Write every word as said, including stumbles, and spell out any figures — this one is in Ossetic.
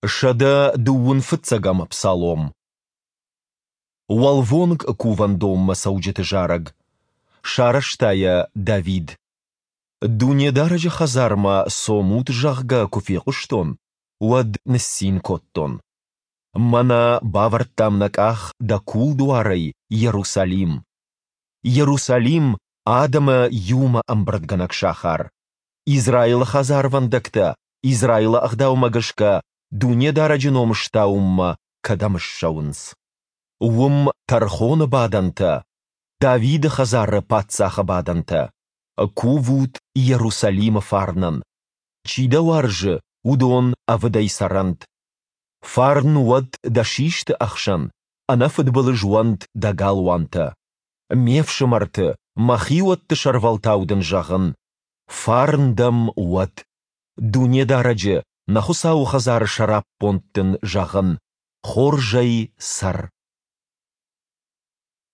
Сӕдӕ дыууын фыццӕгӕм псалом. Уӕлвонг кувӕндонмӕ цӕуджыты зарӕг. Сарӕзта йӕ Давид. Дунедарӕджы хӕдзармӕ цомут, зӕгъгӕ, куы фехъуыстон, уӕд ныццин кодтон. Мӕнӕ бавӕрдтам нӕ къах дӕ кулдуарӕй, Йерусалим! Йерусалим, адӕмы иумӕ ӕмбырдгӕнӕг сахар! Израилы хӕдзарвӕндӕгтӕ Израилы ӕгъдаумӕ гӕсгӕ Дунедарӕджы ном стауынмӕ кӕдӕм ссӕуынц. Уым тӕрхоны бадӕнтӕ, Давиды хӕдзары паддзахы бадӕнтӕ. Кувут Йерусалимы фарнӕн. Чи дӕ уарзы, уыдон ӕвыдӕй цӕрӕнт. Фарн уӕд дӕ систы ӕхсӕн, ӕнӕфыдбылыз уӕнт дӕ галуантӕ. Ме фсымӕрты, мӕ хиуӕтты сӕрвӕлтау дын зӕгъын: фарн дӕм уӕд! Дунедарӕджы, нӕ Хуыцауы хӕдзары сӕраппонд дын зӕгъын: хорзӕй цӕр!